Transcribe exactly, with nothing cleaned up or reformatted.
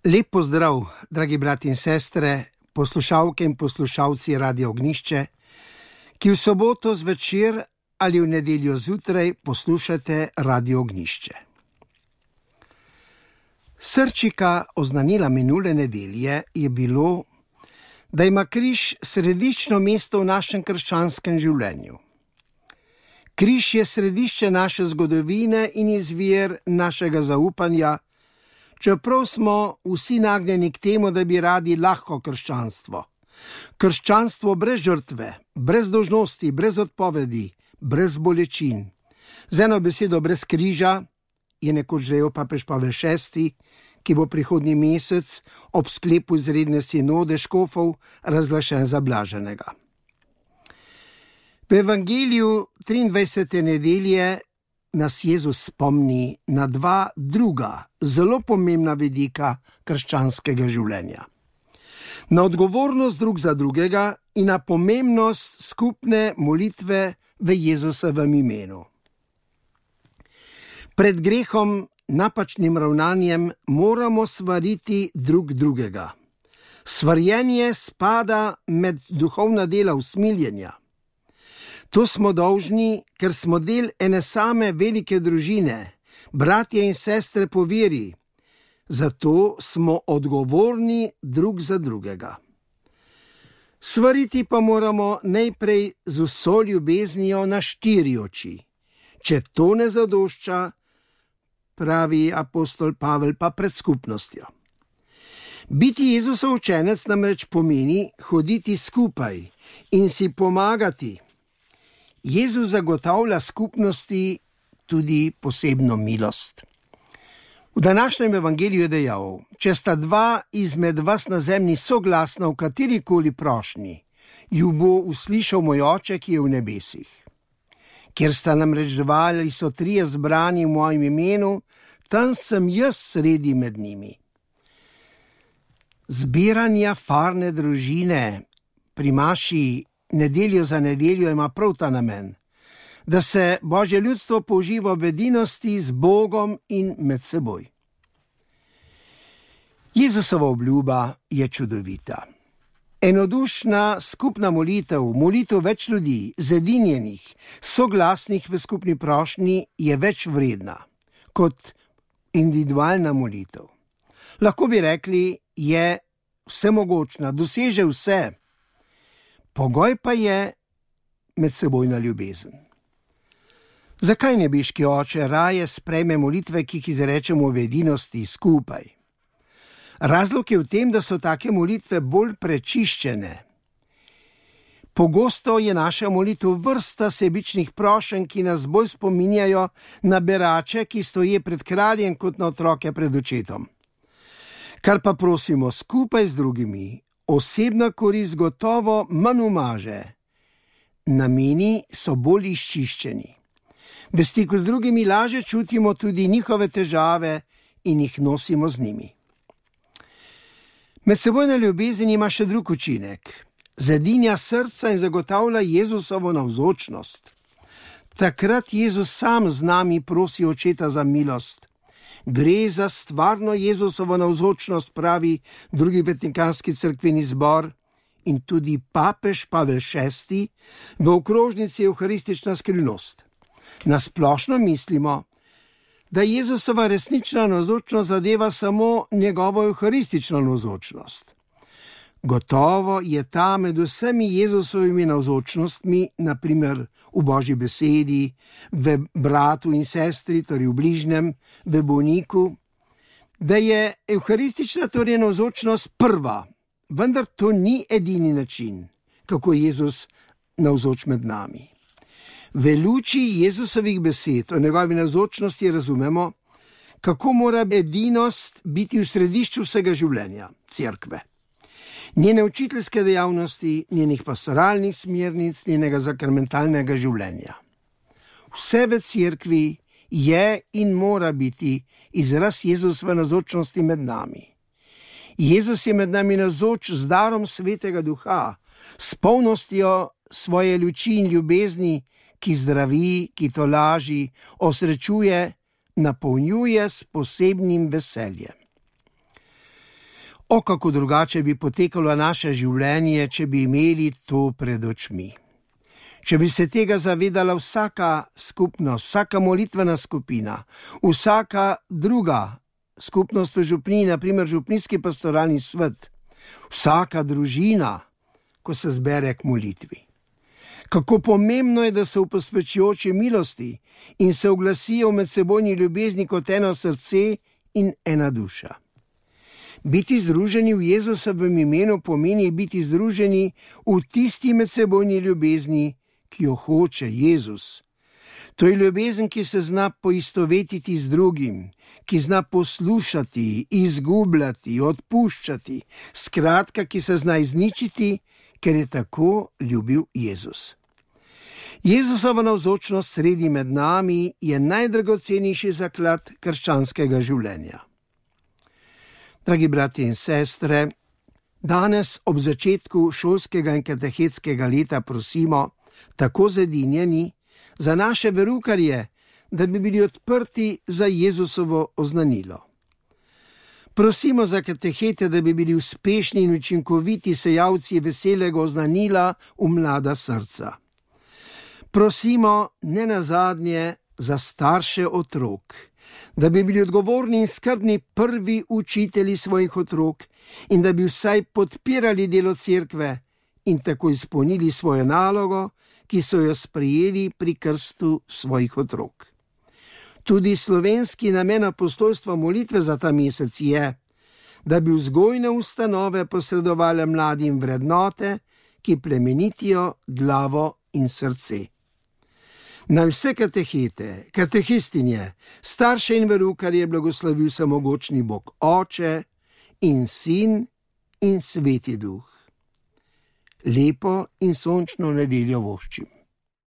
Lep pozdrav, dragi brati in sestre, poslušalke in poslušalci Radia Ognjišče, ki v soboto zvečer ali v nedeljo zjutraj poslušate Radio Ognjišče. Srčika oznanila minule nedelje je bilo, da ima križ središčno mesto v našem krščanskem življenju. Križ je središče naše zgodovine in izvir našega zaupanja, čeprav smo vsi nagnjeni k temu, da bi radi lahko krščanstvo. Krščanstvo brez žrtve, brez dolžnosti, brez odpovedi, brez bolečin. Z eno besedo brez križa je nekoč rekel papež Pavel šesti, ki bo prihodnji mesec ob sklepu izredne sinode škofov razglašen za blaženega. V Evangeliju triindvajsete nedelje nas Jezus spomni na dva druga, zelo pomembna vidika krščanskega življenja. Na odgovornost drug za drugega in na pomembnost skupne molitve v Jezusovem imenu. Pred grehom, napačnim ravnanjem moramo svariti drug drugega. Svarjenje spada med duhovna dela usmiljenja. To smo dolžni, ker smo del ene same velike družine, bratje in sestre po veri. Zato smo odgovorni drug za drugega. Svariti pa moramo najprej z vso ljubeznijo na štiri oči. Če to ne zadošča, pravi apostol Pavel, pa pred skupnostjo. Biti Jezusov učenec namreč pomeni hoditi skupaj in si pomagati. Jezus zagotavlja skupnosti tudi posebno milost. V današnjem evangeliju je dejal: če sta dva izmed vas na zemlji soglasna v katerikoli prošnji, ju bo uslišal moj Oče, ki je v nebesih. Kjer sta namreč dva ali so trije zbrani v mojem imenu, tam sem jaz sredi med njimi. Zbiranja farne družine pri maši nedeljo za nedeljo ima prav ta namen, da se Božje ljudstvo použiva v edinosti z Bogom in med seboj. Jezusova obljuba je čudovita. Enodušna skupna molitev, molitev več ljudi, zedinjenih, soglasnih v skupni prošnji je več vredna kot individualna molitev. Lahko bi rekli, je vsemogočna, doseže vse. Pogoj pa je medsebojna ljubezen. Zakaj nebeški Oče raje sprejme molitve, ki jih izrečemo v edinosti skupaj? Razlog je v tem, da so take molitve bolj prečiščene. Pogosto je naša molitev vrsta sebičnih prošenj, ki nas bolj spominjajo na berače, ki stoje pred kraljem, kot na otroke pred očetom. Kar pa prosimo skupaj z drugimi, osebna korist gotovo manj umaže. Nameni so bolj izčiščeni. V stiku z drugimi laže čutimo tudi njihove težave in jih nosimo z njimi. Medsebojna ljubezen ima še drug učinek. Zedinja srca in zagotavlja Jezusovo navzočnost. Takrat Jezus sam z nami prosi Očeta za milost. Gre za stvarno Jezusovo navzočnost, pravi drugi vatikanski cerkveni zbor in tudi papež Pavel šesti v okrožnici Evharistična skrivnost. Na splošno mislimo, da Jezusova resnična navzočnost zadeva samo njegovo evharistično navzočnost. Gotovo je ta med vsemi Jezusovimi navzočnostmi, na primer v Božji besedi, v bratu in sestri, torej v bližnjem, v bolniku, da je evharistična torej navzočnost prva, vendar to ni edini način, kako je Jezus navzoč med nami. V luči Jezusovih besed o njegovi navzočnosti razumemo, kako mora edinost biti v središču vsega življenja, cerkve. Njene učiteljske dejavnosti, njenih pastoralnih smernic, njenega sakramentalnega življenja. Vse v cerkvi je in mora biti izraz Jezusove navzočnosti med nami. Jezus je med nami navzoč z darom Svetega Duha, s polnostjo svoje luči in ljubezni, ki zdravi, ki tolaži, osrečuje, napolnjuje s posebnim veseljem. O, kako drugače bi potekalo naše življenje, če bi imeli to pred očmi. Če bi se tega zavedala vsaka skupnost, vsaka molitvena skupina, vsaka druga skupnost v župniji, naprimer župnijski pastoralni svet, vsaka družina, ko se zbere k molitvi. Kako pomembno je, da so v posvečujoči milosti in se oglasijo v medsebojni ljubezni kot eno srce in ena duša. Biti združeni v Jezusovem imenu pomeni biti združeni v tisti medsebojni ljubezni, ki jo hoče Jezus. To je ljubezen, ki se zna poistovetiti z drugim, ki zna poslušati, izgubljati, odpuščati, skratka, ki se zna izničiti, ker je tako ljubil Jezus. Jezusova navzočnost sredi med nami je najdragocenejši zaklad krščanskega življenja. Dragi bratje in sestre, danes ob začetku šolskega in katehetskega leta prosimo, tako zedinjeni, za naše verukarje, da bi bili odprti za Jezusovo oznanilo. Prosimo za katehete, da bi bili uspešni in učinkoviti sejalci veselega oznanila v mlada srca. Prosimo ne nazadnje za starše otrok, da bi bili odgovorni in skrbni prvi učitelji svojih otrok in da bi vsaj podpirali delo cerkve in tako izpolnili svojo nalogo, ki so jo sprejeli pri krstu svojih otrok. Tudi slovenski namen apostolstva molitve za ta mesec je, da bi vzgojne ustanove posredovale mladim vrednote, ki plemenitijo glavo in srce. Naj vse katehete, katehistinje, starše in verukarje blagoslovi vsemogočni Bog Oče in Sin in Sveti Duh. Lepo in sončno nedeljo voščim.